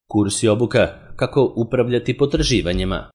Kurs i obuka kako upravljati potraživanjima.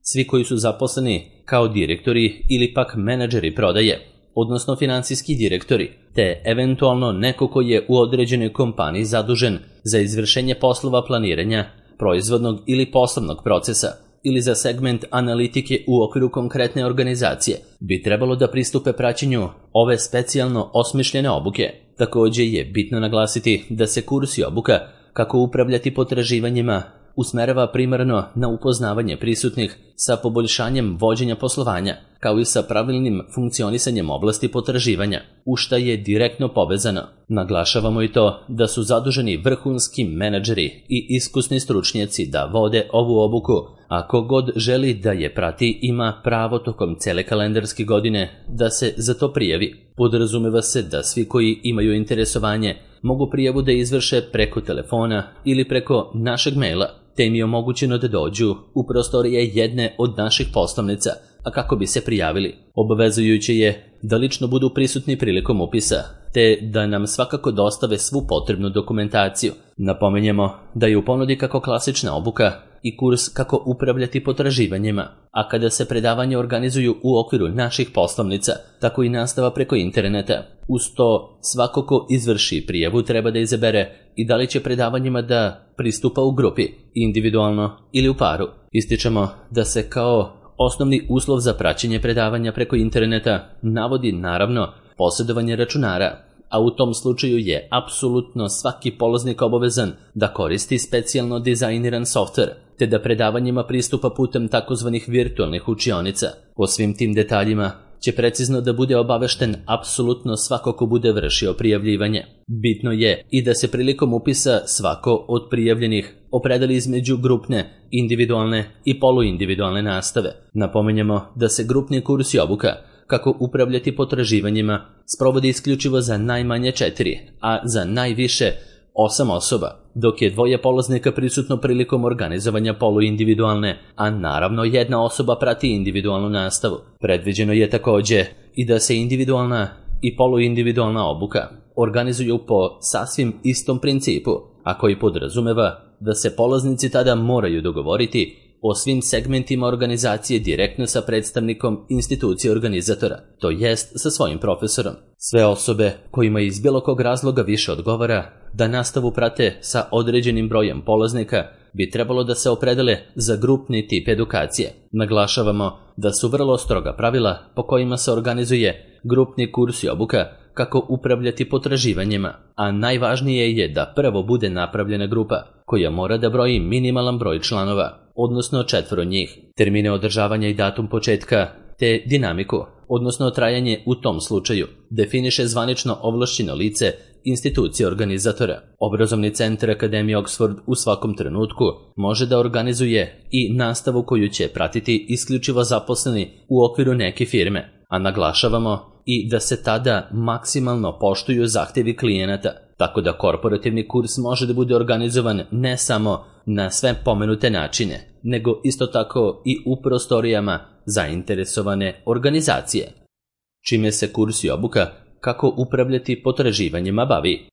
Svi koji su zaposleni kao direktori ili pak menadžeri prodaje, odnosno finansijski direktori, te eventualno neko koji je u određenoj kompaniji zadužen za izvršenje poslova planiranja, proizvodnog ili poslovnog procesa ili za segment analitike u okviru konkretne organizacije, bi trebalo da pristupe praćenju ove specijalno osmišljene obuke. Također je bitno naglasiti da se kurs i obuka kako upravljati potraživanjima usmerava primarno na upoznavanje prisutnih sa poboljšanjem vođenja poslovanja, kao i sa pravilnim funkcionisanjem oblasti potraživanja, u šta je direktno povezano. Naglašavamo i to da su zaduženi vrhunski menadžeri i iskusni stručnjaci da vode ovu obuku, a kogod želi da je prati ima pravo tokom cele kalendarske godine da se za to prijavi. Podrazumeva se da svi koji imaju interesovanje mogu prijavu da izvrše preko telefona ili preko našeg maila, te im je omogućeno da dođu u prostorije jedne od naših poslovnica, a kako bi se prijavili. Obavezujuće je da lično budu prisutni prilikom upisa, te da nam svakako dostave svu potrebnu dokumentaciju. Napominjemo da je u ponudi kako klasična obuka i kurs kako upravljati potraživanjima, a kada se predavanja organizuju u okviru naših poslovnica, tako i nastava preko interneta. Uz to, svako ko izvrši prijavu treba da izabere i da li će predavanjima da pristupa u grupi, individualno ili u paru. Ističemo da se kao osnovni uslov za praćenje predavanja preko interneta navodi naravno posjedovanje računara, a u tom slučaju je apsolutno svaki polaznik obavezan da koristi specijalno dizajniran softver, te da predavanjima pristupa putem takozvanih virtualnih učionica. O svim tim detaljima će precizno da bude obavešten apsolutno svako ko bude vršio prijavljivanje. Bitno je i da se prilikom upisa svako od prijavljenih opredeli između grupne, individualne i poluindividualne nastave. Napominjemo da se grupni kurs i obuka kako upravljati potraživanjima sprovodi isključivo za najmanje 4, a za najviše 8 osoba, dok je 2 polaznika prisutno prilikom organizovanja poluindividualne, a naravno 1 osoba prati individualnu nastavu. Predviđeno je također i da se individualna i poluindividualna obuka organizuju po sasvim istom principu, a koji podrazumeva da se polaznici tada moraju dogovoriti o svim segmentima organizacije direktno sa predstavnikom institucije organizatora, to jest sa svojim profesorom. Sve osobe kojima iz bilo kog razloga više odgovara da nastavu prate sa određenim brojem polaznika bi trebalo da se opredele za grupni tip edukacije. Naglašavamo da su vrlo stroga pravila po kojima se organizuje grupni kurs i obuka kako upravljati potraživanjima, a najvažnije je da prvo bude napravljena grupa koja mora da broji minimalan broj članova, odnosno 4 njih, termine održavanja i datum početka, te dinamiku, odnosno trajanje u tom slučaju, definiše zvanično ovlašćeno lice institucije organizatora. Obrazovni centar Akademije Oxford u svakom trenutku može da organizuje i nastavu koju će pratiti isključivo zaposleni u okviru neke firme, a naglašavamo i da se tada maksimalno poštuju zahtjevi klijenata, tako da korporativni kurs može da bude organizovan ne samo na sve pomenute načine, nego isto tako i u prostorijama zainteresovane organizacije. Čime se kurs i obuka kako upravljati potraživanjima bavi?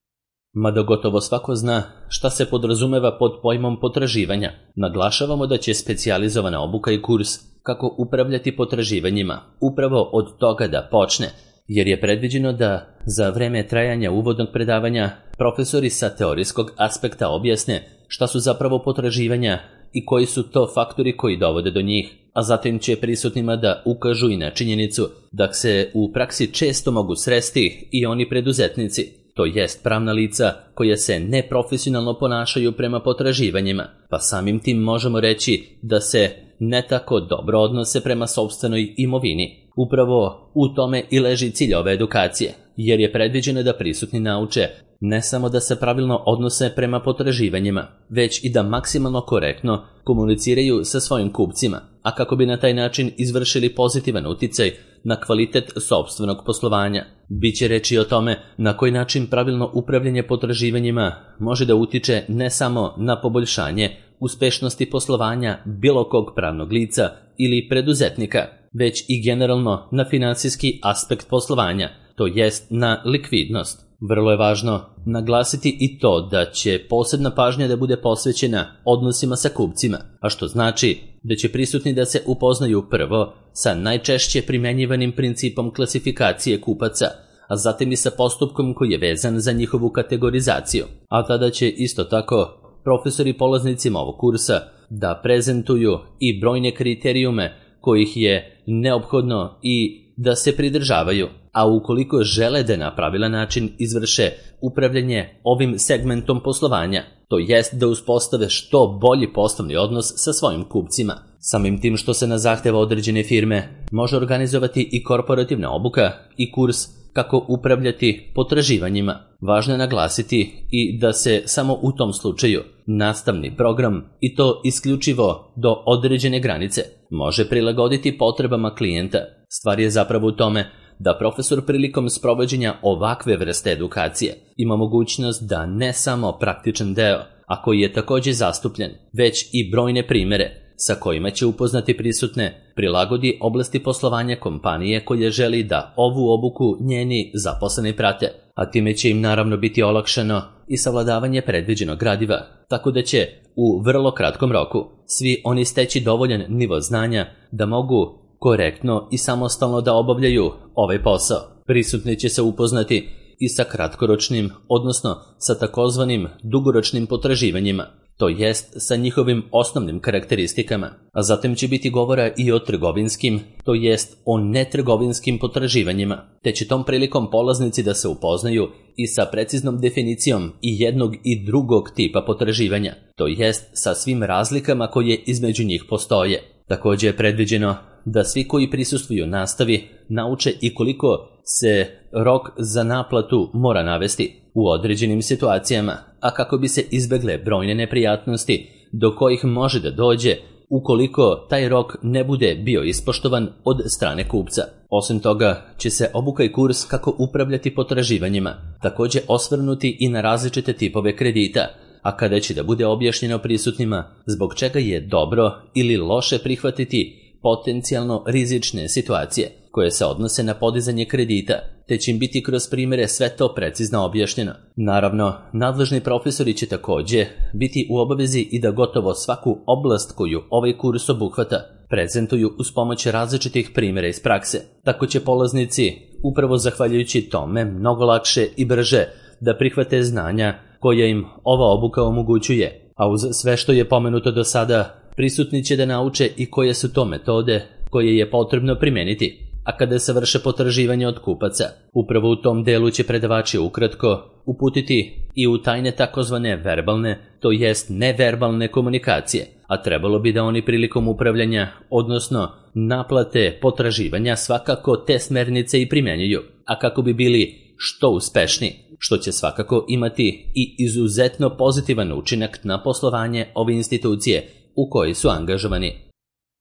Mada gotovo svako zna šta se podrazumeva pod pojmom potraživanja, naglašavamo da će specijalizovana obuka i kurs kako upravljati potraživanjima upravo od toga da počne, jer je predviđeno da za vreme trajanja uvodnog predavanja profesori sa teorijskog aspekta objasne šta su zapravo potraživanja i koji su to faktori koji dovode do njih, a zatim će prisutnima da ukažu i na činjenicu da se u praksi često mogu sresti i oni preduzetnici, to jest pravna lica koja se neprofesionalno ponašaju prema potraživanjima, pa samim tim možemo reći da se ne tako dobro odnose prema sopstvenoj imovini. Upravo u tome i leži cilj ove edukacije, jer je predviđeno da prisutni nauče ne samo da se pravilno odnose prema potraživanjima, već i da maksimalno korektno komuniciraju sa svojim kupcima, a kako bi na taj način izvršili pozitivan uticaj na kvalitet sopstvenog poslovanja. Biće reći o tome na koji način pravilno upravljanje potraživanjima može da utiče ne samo na poboljšanje uspešnosti poslovanja bilo kog pravnog lica ili preduzetnika, već i generalno na finansijski aspekt poslovanja, to jest na likvidnost. Vrlo je važno naglasiti i to da će posebna pažnja da bude posvećena odnosima sa kupcima, a što znači da će prisutni da se upoznaju prvo sa najčešće primenjivanim principom klasifikacije kupaca, a zatim i sa postupkom koji je vezan za njihovu kategorizaciju. A tada će isto tako profesori polaznicima ovog kursa da prezentuju i brojne kriterijume kojih je neophodno i da se pridržavaju, a ukoliko žele da na pravilan način izvrše upravljanje ovim segmentom poslovanja, to jest da uspostave što bolji poslovni odnos sa svojim kupcima. Samim tim što se na zahteva određene firme može organizovati i korporativna obuka i kurs kako upravljati potraživanjima. Važno je naglasiti i da se samo u tom slučaju nastavni program, i to isključivo do određene granice, može prilagoditi potrebama klijenta. Stvar je zapravo u tome da profesor prilikom sprovođenja ovakve vrste edukacije ima mogućnost da ne samo praktičan deo, a koji je također zastupljen, već i brojne primere sa kojima će upoznati prisutne, prilagodi oblasti poslovanja kompanije koje želi da ovu obuku njeni zaposleni prate, a time će im naravno biti olakšano i savladavanje predviđenog gradiva, tako da će u vrlo kratkom roku svi oni steći dovoljan nivo znanja da mogu korektno i samostalno da obavljaju ovaj posao. Prisutni će se upoznati i sa kratkoročnim, odnosno sa takozvanim dugoročnim potraživanjima, to jest sa njihovim osnovnim karakteristikama, a zatim će biti govora i o trgovinskim, to jest o netrgovinskim potraživanjima, te će tom prilikom polaznici da se upoznaju i sa preciznom definicijom i jednog i drugog tipa potraživanja, to jest sa svim razlikama koje između njih postoje. Također je predviđeno da svi koji prisustvuju nastavi nauče i koliko se rok za naplatu mora navesti u određenim situacijama, a kako bi se izbegle brojne neprijatnosti do kojih može da dođe ukoliko taj rok ne bude bio ispoštovan od strane kupca. Osim toga će se obuka i kurs kako upravljati potraživanjima također osvrnuti i na različite tipove kredita, a kada će da bude objašnjeno prisutnima zbog čega je dobro ili loše prihvatiti potencijalno rizične situacije koje se odnose na podizanje kredita, te će im biti kroz primjere sve to precizno objašnjeno. Naravno, nadležni profesori će također biti u obavezi i da gotovo svaku oblast koju ovaj kurs obuhvata prezentuju uz pomoć različitih primjera iz prakse. Tako će polaznici, upravo zahvaljujući tome, mnogo lakše i brže da prihvate znanja koja im ova obuka omogućuje, a uz sve što je pomenuto do sada, prisutni će da nauče i koje su to metode koje je potrebno primijeniti, a kada se vrše potraživanje od kupaca. Upravo u tom delu će predavači ukratko uputiti i u tajne takozvane verbalne, to jest neverbalne komunikacije, a trebalo bi da oni prilikom upravljanja, odnosno naplate potraživanja, svakako te smernice i primjenjuju, a kako bi bili što uspešniji, što će svakako imati i izuzetno pozitivan učinak na poslovanje ove institucije u kojoj su angažovani.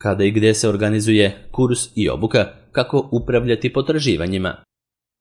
Kada i gdje se organizuje kurs i obuka kako upravljati potraživanjima?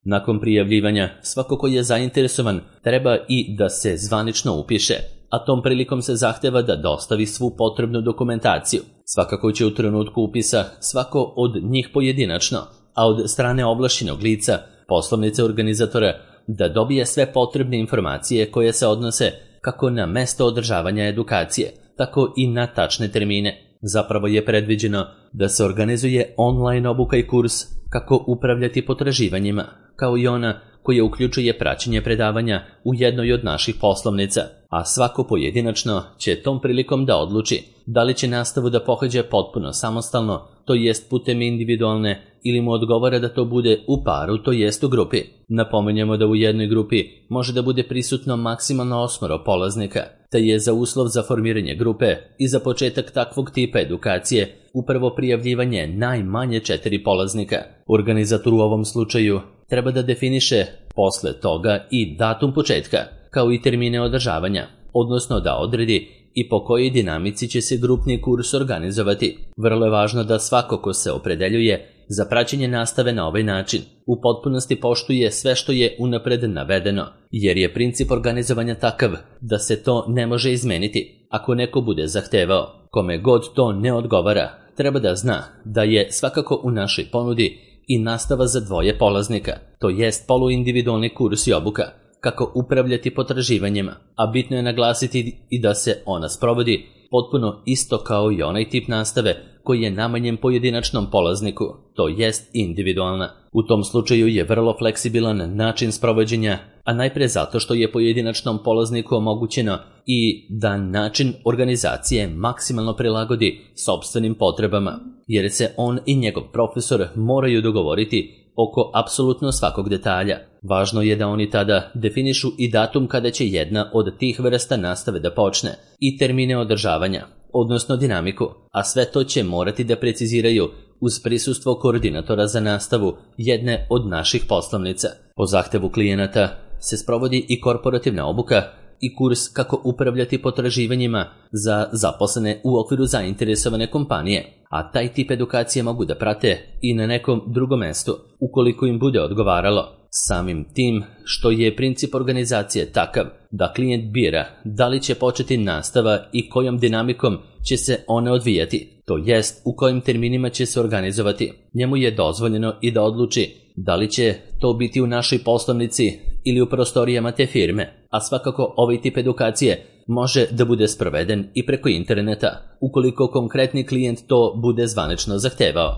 Nakon prijavljivanja, svako ko je zainteresovan treba i da se zvanično upiše, a tom prilikom se zahteva da dostavi svu potrebnu dokumentaciju. Svakako će u trenutku upisa svako od njih pojedinačno, a od strane ovlašćenog lica, poslovnice organizatora, da dobije sve potrebne informacije koje se odnose kako na mesto održavanja edukacije, tako i na tačne termine. Zapravo je predviđeno da se organizuje online obuka i kurs kako upravljati potraživanjima, kao i ona koja uključuje praćenje predavanja u jednoj od naših poslovnica, a svako pojedinačno će tom prilikom da odluči da li će nastavu da pohađa potpuno samostalno, to jest putem individualne, ili mu odgovara da to bude u paru, to jest u grupi. Napominjemo da u jednoj grupi može da bude prisutno maksimalno 8 polaznika, te je za uslov za formiranje grupe i za početak takvog tipa edukacije upravo prijavljivanje najmanje 4 polaznika. Organizator u ovom slučaju treba da definiše posle toga i datum početka, kao i termine održavanja, odnosno da odredi i po kojoj dinamici će se grupni kurs organizovati. Vrlo je važno da svako ko se opredeljuje za praćenje nastave na ovaj način u potpunosti poštuje sve što je unapred navedeno, jer je princip organizovanja takav da se to ne može izmeniti. Ako neko bude zahtevao, kome god to ne odgovara, treba da zna da je svakako u našoj ponudi i nastava za 2 polaznika, to jest poluindividualni kurs i obuka, kako upravljati potraživanjima, a bitno je naglasiti i da se ona sprovodi potpuno isto kao i onaj tip nastave koji je namenjen pojedinačnom polazniku, to jest individualna. U tom slučaju je vrlo fleksibilan način sprovođenja, a najpre zato što je pojedinačnom polazniku omogućeno i da način organizacije maksimalno prilagodi sopstvenim potrebama, jer se on i njegov profesor moraju dogovoriti oko apsolutno svakog detalja. Važno je da oni tada definišu i datum kada će jedna od tih vrsta nastave da počne i termine održavanja, odnosno dinamiku, a sve to će morati da preciziraju uz prisustvo koordinatora za nastavu jedne od naših poslovnica. Po zahtevu klijenata se sprovodi i korporativna obuka i kurs kako upravljati potraživanjima za zaposlene u okviru zainteresovane kompanije, a taj tip edukacije mogu da prate i na nekom drugom mestu, ukoliko im bude odgovaralo. Samim tim što je princip organizacije takav da klijent bira da li će početi nastava i kojom dinamikom će se one odvijati, to jest u kojim terminima će se organizovati. Njemu je dozvoljeno i da odluči da li će to biti u našoj poslovnici ili u prostorijama te firme, a svakako ovaj tip edukacije može da bude sproveden i preko interneta, ukoliko konkretni klijent to bude zvanično zahtevao.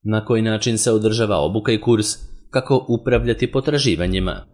Na koji način se održava obuka i kurs kako upravljati potraživanjima?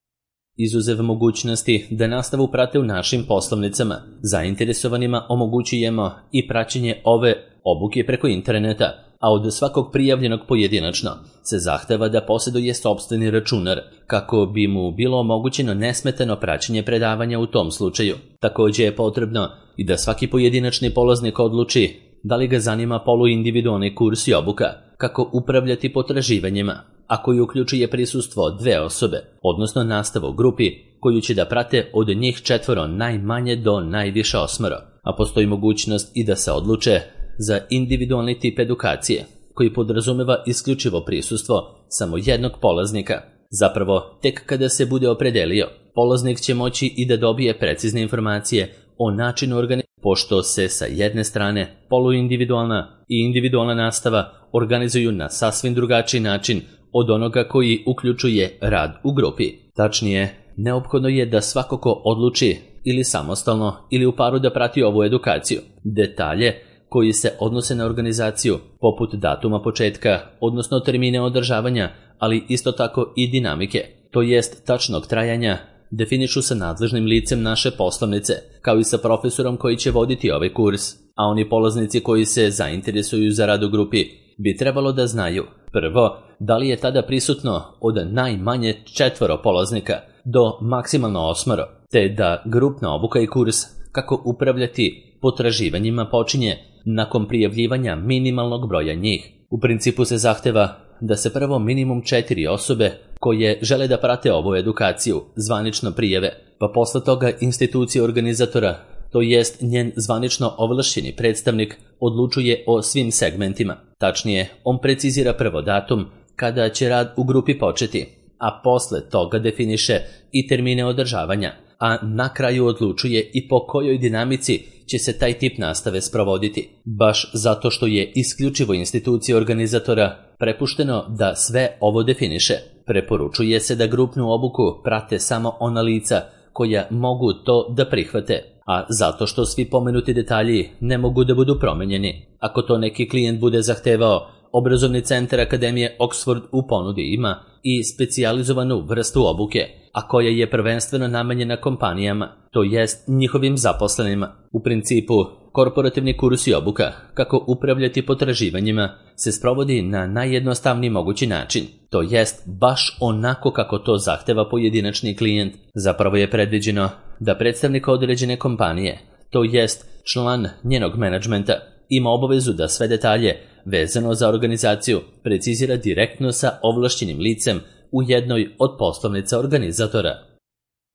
Izuzev mogućnosti da nastavu prate u našim poslovnicama, zainteresovanima omogućujemo i praćenje ove obuke preko interneta, a od svakog prijavljenog pojedinačno se zahteva da posjeduje sopstveni računar kako bi mu bilo omogućeno nesmetano praćenje predavanja u tom slučaju. Također je potrebno i da svaki pojedinačni polaznik odluči da li ga zanima poluindividualni kurs i obuka kako upravljati potraživanjima, a koji uključuje prisustvo 2 osobe, odnosno nastavu u grupi koju će da prate od njih 4 najmanje do najviše 8, a postoji mogućnost i da se odluče za individualni tip edukacije, koji podrazumeva isključivo prisustvo samo jednog polaznika. Zapravo, tek kada se bude opredelio, polaznik će moći i da dobije precizne informacije o načinu organizacije, pošto se sa jedne strane poluindividualna i individualna nastava organizuju na sasvim drugačiji način od onoga koji uključuje rad u grupi. Tačnije, neophodno je da svako ko odluči ili samostalno ili u paru da prati ovu edukaciju. Detalje koji se odnose na organizaciju, poput datuma početka, odnosno termine održavanja, ali isto tako i dinamike, to jest tačnog trajanja, definišu sa nadležnim licem naše poslovnice, kao i sa profesorom koji će voditi ovaj kurs, a oni polaznici koji se zainteresuju za rad u grupi bi trebalo da znaju, prvo, da li je tada prisutno od najmanje 4 polaznika do maksimalno 8, te da grupna obuka i kurs kako upravljati potraživanjima počinje nakon prijavljivanja minimalnog broja njih. U principu se zahteva da se prvo minimum 4 osobe koje žele da prate ovu edukaciju zvanično prijave, pa posle toga institucija organizatora, to jest njen zvanično ovlašćeni predstavnik, odlučuje o svim segmentima. Tačnije, on precizira prvo datum kada će rad u grupi početi, a posle toga definiše i termine održavanja, a na kraju odlučuje i po kojoj dinamici će se taj tip nastave sprovoditi. Baš zato što je isključivo institucija organizatora prepušteno da sve ovo definiše, preporučuje se da grupnu obuku prate samo ona lica koja mogu to da prihvate, a zato što svi pomenuti detalji ne mogu da budu promenjeni. Ako to neki klijent bude zahtevao, obrazovni centar Akademije Oxford u ponudi ima i specijalizovanu vrstu obuke, a koja je prvenstveno namenjena kompanijama, to jest njihovim zaposlenima. U principu, korporativni kurs i obuka kako upravljati potraživanjima se sprovodi na najjednostavniji mogući način, to jest baš onako kako to zahteva pojedinačni klijent. Zapravo je predviđeno da predstavnik određene kompanije, to jest član njenog menadžmenta, ima obavezu da sve detalje vezano za organizaciju precizira direktno sa ovlašćenim licem u jednoj od poslovnica organizatora.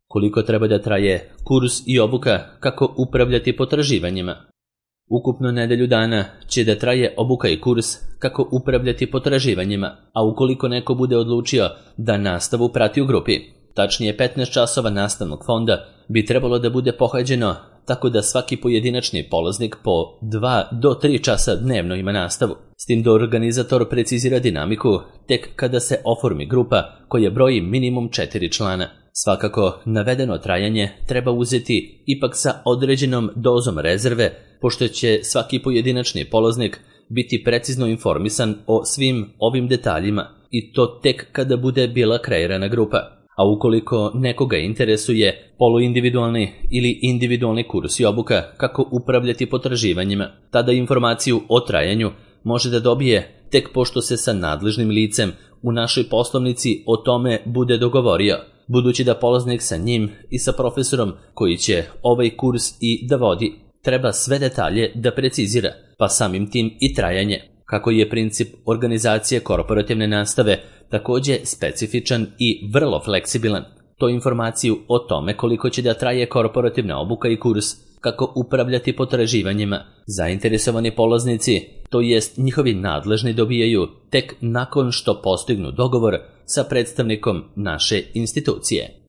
Koliko treba da traje kurs i obuka kako upravljati potraživanjima? Ukupno nedelju dana će da traje obuka i kurs kako upravljati potraživanjima, a ukoliko neko bude odlučio da nastavu prati u grupi, tačnije 15 časova nastavnog fonda bi trebalo da bude pohađeno tako da svaki pojedinačni polaznik po 2 do 3 časa dnevno ima nastavu. S tim da organizator precizira dinamiku tek kada se oformi grupa koja broji minimum 4 člana. Svakako, navedeno trajanje treba uzeti ipak sa određenom dozom rezerve, pošto će svaki pojedinačni polaznik biti precizno informisan o svim ovim detaljima i to tek kada bude bila kreirana grupa. A ukoliko nekoga interesuje poluindividualni ili individualni kurs i obuka kako upravljati potraživanjima, tada informaciju o trajanju može da dobije tek pošto se sa nadležnim licem u našoj poslovnici o tome bude dogovorio, budući da polaznik sa njim i sa profesorom koji će ovaj kurs i da vodi treba sve detalje da precizira, pa samim tim i trajanje. Kako je princip organizacije korporativne nastave također specifičan i vrlo fleksibilan, to informaciju o tome koliko će da traje korporativna obuka i kurs, kako upravljati potraživanjima, zainteresovani polaznici, to jest njihovi nadležni, dobijaju tek nakon što postignu dogovor sa predstavnikom naše institucije.